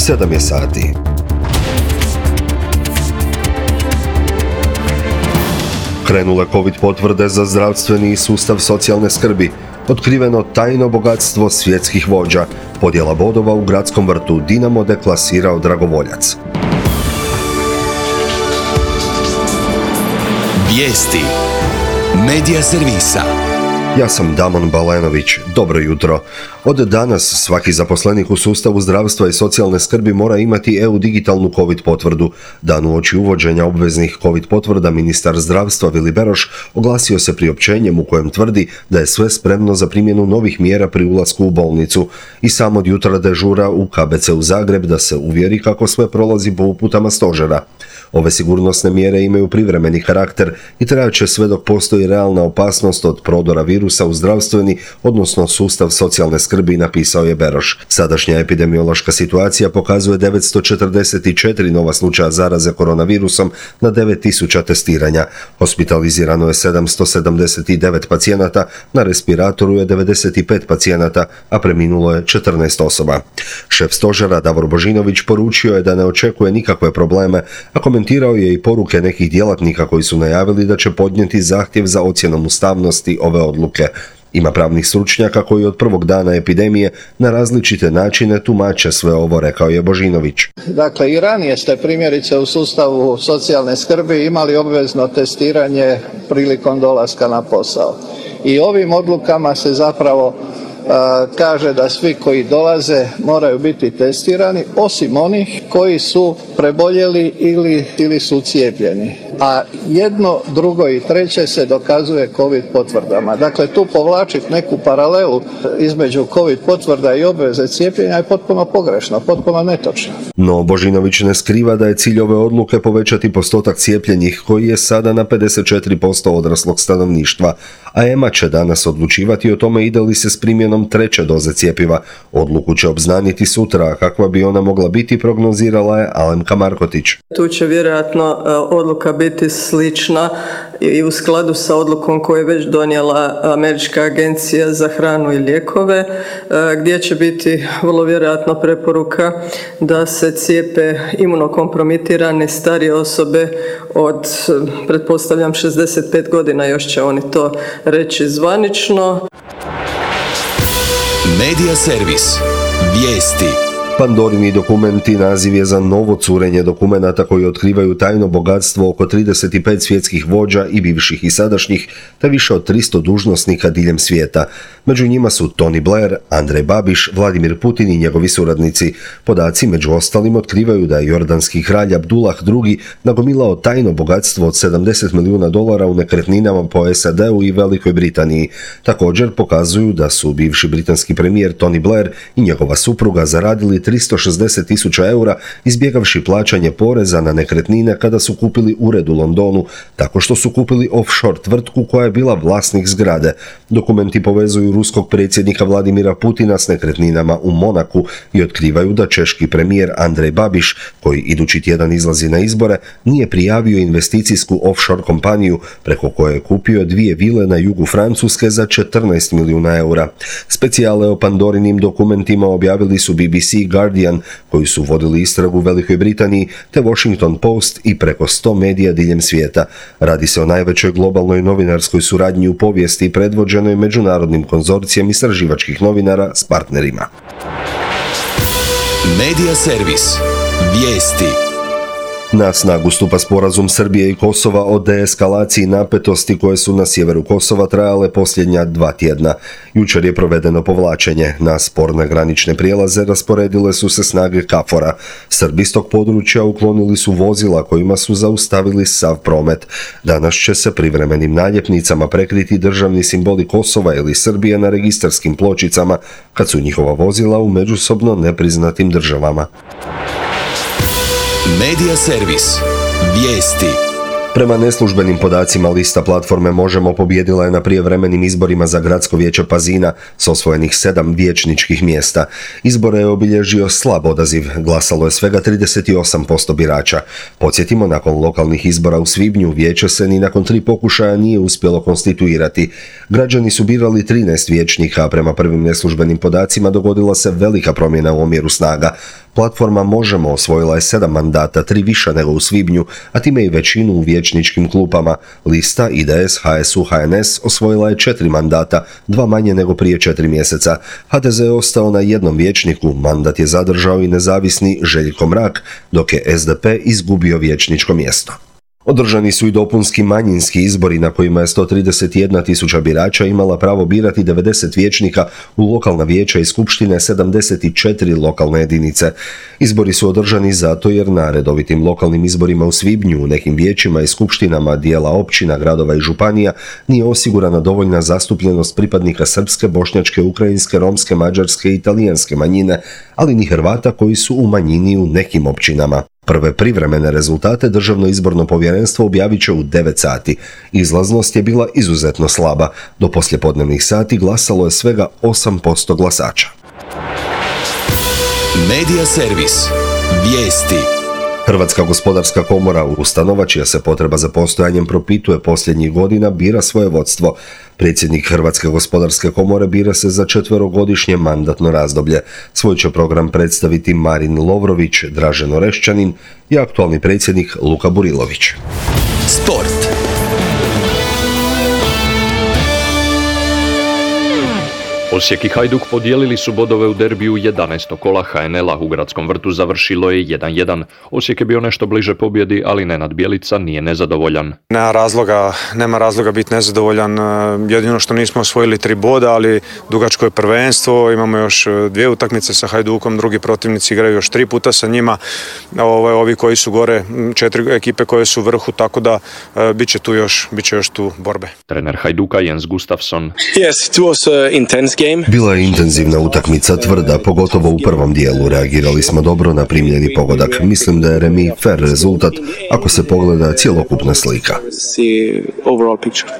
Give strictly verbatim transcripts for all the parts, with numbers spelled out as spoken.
sedam je sati. Krenule COVID potvrde za zdravstveni sustav socijalne skrbi, otkriveno tajno bogatstvo svjetskih vođa, podjela bodova u gradskom vrtu, Dinamo deklasirao dragovoljac. Vijesti Medija servisa. Ja sam Damon Balenović, dobro jutro. Od danas svaki zaposlenik u sustavu zdravstva i socijalne skrbi mora imati E U digitalnu COVID potvrdu. Dan uoči uvođenja obveznih COVID potvrda ministar zdravstva Vili Beroš oglasio se priopćenjem u kojem tvrdi da je sve spremno za primjenu novih mjera pri ulasku u bolnicu i sam od jutra dežura u K B C u Zagreb da se uvjeri kako sve prolazi po uputama stožera. Ove sigurnosne mjere imaju privremeni karakter i trajaće sve dok postoji realna opasnost od prodora virusa u zdravstveni, odnosno sustav socijalne skrbi, napisao je Beroš. Sadašnja epidemiološka situacija pokazuje devetsto četrdeset četiri nova slučaja zaraze koronavirusom na devet tisuća testiranja. Hospitalizirano je sedamsto sedamdeset devet pacijenata, na respiratoru je devedeset pet pacijenata, a preminulo je četrnaest osoba. Šef stožera Davor Božinović poručio je da ne očekuje nikakve probleme, a komentirao je i poruke nekih djelatnika koji su najavili da će podnijeti zahtjev za ocjenom ustavnosti ove odluke. Ima pravnih stručnjaka koji od prvog dana epidemije na različite načine tumače sve ovo, rekao je Božinović. Dakle, i ranije ste primjerice u sustavu socijalne skrbi imali obvezno testiranje prilikom dolaska na posao. I ovim odlukama se zapravo kaže da svi koji dolaze moraju biti testirani, osim onih koji su preboljeli ili, ili su cijepljeni. A jedno, drugo i treće se dokazuje COVID potvrdama. Dakle, tu povlačiti neku paralelu između COVID potvrda i obveze cijepljenja je potpuno pogrešno, potpuno netočno. No, Božinović ne skriva da je cilj ove odluke povećati postotak cijepljenih, koji je sada na pedeset četiri posto odraslog stanovništva, a E M A će danas odlučivati o tome ide li se s primjenom treće doze cjepiva. Odluku će obznaniti sutra, a kakva bi ona mogla biti, prognozirala je Alemka Markotić. Tu će vjerojatno odluka biti slična i u skladu sa odlukom koju je već donijela Američka agencija za hranu i lijekove, gdje će biti vrlo vjerojatno preporuka da se cijepe imunokompromitirane starije osobe od, pretpostavljam, šezdeset pet godina, još će oni to reći zvanično. Medija servis. Vijesti. Pandorini dokumenti naziv je za novo curenje dokumenata koji otkrivaju tajno bogatstvo oko trideset pet svjetskih vođa i bivših i sadašnjih, te više od tristo dužnosnika diljem svijeta. Među njima su Tony Blair, Andrej Babiš, Vladimir Putin i njegovi suradnici. Podaci među ostalim otkrivaju da je jordanski kralj Abdullah drugi nagomilao tajno bogatstvo od sedamdeset milijuna dolara u nekretninama po S A D-u i Velikoj Britaniji. Također pokazuju da su bivši britanski premijer Tony Blair i njegova supruga zaradili tristo šezdeset tisuća eura izbjegavši plaćanje poreza na nekretnine kada su kupili ured u Londonu, tako što su kupili offshore tvrtku koja je bila vlasnik zgrade. Dokumenti povezuju ruskog predsjednika Vladimira Putina s nekretninama u Monaku i otkrivaju da češki premijer Andrej Babiš, koji idući tjedan izlazi na izbore, nije prijavio investicijsku offshore kompaniju preko koje je kupio dvije vile na jugu Francuske za četrnaest milijuna eura. Specijale o Pandorinim dokumentima objavili su B B C, Guardian, koji su vodili istragu u Velikoj Britaniji, te Washington Post i preko sto medija diljem svijeta. Radi se o najvećoj globalnoj novinarskoj suradnji u povijesti predvođenoj međunarodnim konzorcijem istraživačkih novinara s partnerima. Medija servis. Vijesti. Na snagu stupa sporazum Srbije i Kosova o deeskalaciji napetosti koje su na sjeveru Kosova trajale posljednja dva tjedna. Jučer je provedeno povlačenje. Na sporne granične prijelaze rasporedile su se snage KFOR-a. Srbi s tog područja uklonili su vozila kojima su zaustavili sav promet. Danas će se privremenim naljepnicama prekriti državni simboli Kosova ili Srbije na registarskim pločicama kad su njihova vozila u međusobno nepriznatim državama. Medija servis. Vijesti. Prema neslužbenim podacima lista platforme Možemo pobijedila je na prijevremenim izborima za gradsko vijeće Pazina s osvojenih sedam vijećničkih mjesta. Izbore je obilježio slab odaziv, glasalo je svega trideset osam posto birača. Podsjetimo, nakon lokalnih izbora u svibnju vijeće se ni nakon tri pokušaja nije uspjelo konstituirati. Građani su birali trinaest vijećnika, a prema prvim neslužbenim podacima dogodila se velika promjena u omjeru snaga. Platforma Možemo osvojila je sedam mandata, tri više nego u svibnju, a time i većinu u vijećničkim klupama. Lista I D S, H S U, H N S osvojila je četiri mandata, dva manje nego prije četiri mjeseca. H D Z je ostao na jednom vijećniku, mandat je zadržao i nezavisni Željko Mrak, dok je S D P izgubio vijećničko mjesto. Održani su i dopunski manjinski izbori na kojima je sto trideset jedna tisuća birača imala pravo birati devedeset vijećnika u lokalna vijeća i skupštine sedamdeset četiri lokalne jedinice. Izbori su održani zato jer na redovitim lokalnim izborima u svibnju u nekim vijećima i skupštinama dijela općina, gradova i županija nije osigurana dovoljna zastupljenost pripadnika srpske, bošnjačke, ukrajinske, romske, mađarske i italijanske manjine, ali ni Hrvata koji su u manjini u nekim općinama. Prve privremene rezultate Državno izborno povjerenstvo objavit će u devet sati. Izlaznost je bila izuzetno slaba. Do poslijepodnevnih sati glasalo je svega osam posto glasača. Medija servis. Vijesti. Hrvatska gospodarska komora, ustanova čija se potreba za postojanjem propituje posljednjih godina, bira svoje vodstvo. Predsjednik Hrvatske gospodarske komore bira se za četverogodišnje mandatno razdoblje. Svoj će program predstaviti Marin Lovrović, Dražen Orešćanin i aktualni predsjednik Luka Burilović. Sport. Osijek i Hajduk podijelili su bodove u derbiju jedanaestog kola H N L-a. U Gradskom vrtu završilo je jedan jedan. Osijek je bio nešto bliže pobjedi, ali Nenad Bjelica nije nezadovoljan. Nema razloga, nema razloga biti nezadovoljan. Jedino što nismo osvojili tri boda, ali dugačko je prvenstvo. Imamo još dvije utakmice sa Hajdukom, drugi protivnici igraju još tri puta sa njima. Ovi, ovi koji su gore, četiri ekipe koje su u vrhu, tako da bit će tu još, bit će još tu borbe. Trener Hajduka Jens Gustafsson. Yes, it was uh, intense. Bila je intenzivna utakmica, tvrda, pogotovo u prvom dijelu. Reagirali smo dobro na primljeni pogodak. Mislim da je remi fair rezultat ako se pogleda cjelokupna slika.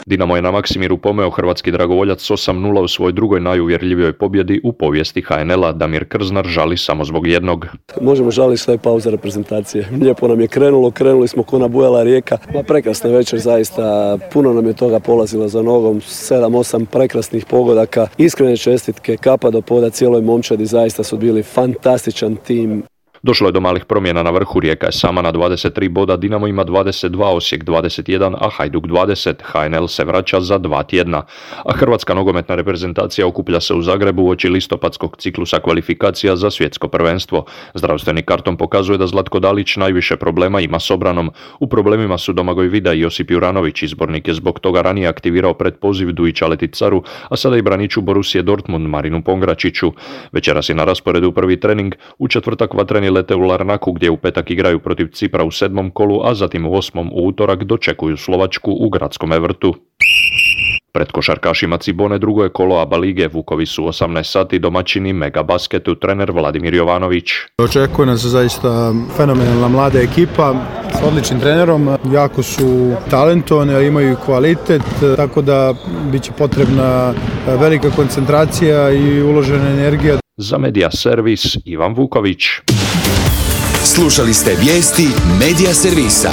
Dinamo je na Maksimiru pomeo hrvatski dragovoljac s osam nula u svojoj drugoj najuvjerljivijoj pobjedi u povijesti H N L-a. Damir Krznar žali samo zbog jednog. Možemo žaliti što je pauza reprezentacije. Lijepo nam je krenulo, krenuli smo ko nabujala rijeka. Ma prekrasna večer, zaista puno nam je toga polazilo za nogom. sedam osam prekrasnih pogodaka. Iskrene čestitke, kapa do poda cijeloj momčadi, zaista su bili fantastičan tim. Došlo je do malih promjena na vrhu, Rijeka je sama na dvadeset tri boda, Dinamo ima dvadeset dva, Osijek dvadeset jedan, a Hajduk dvadeset. H N L se vraća za dva tjedna. A hrvatska nogometna reprezentacija okuplja se u Zagrebu uoči listopadskog ciklusa kvalifikacija za svjetsko prvenstvo. Zdravstveni karton pokazuje da Zlatko Dalić najviše problema ima s obranom. U problemima su Domagoj Vida i Josip Juranović. Izbornik je zbog toga ranije aktivirao pretpoziv Dujića Leticaru, a sada i braniču Borusije Dortmund Marinu Pongračiću. Večeras je na rasporedu prvi trening, u četvrtak vatreni lete u Larnaku gdje u petak igraju protiv Cipra u sedmom kolu, a zatim u osmom u utorak dočekuju Slovačku u Gradskom vrtu. Pred košarkašima Cibone drugo je kolo A B A lige, Vukovi su osamnaest sati domaćini Mega Basketu, trener Vladimir Jovanović. Očekuje nas zaista fenomenalna mlada ekipa s odličnim trenerom, jako su talentovani, imaju kvalitet, tako da bit će potrebna velika koncentracija i uložena energija. Za Medija servis Ivan Vuković. Slušali ste vijesti Medija servisa.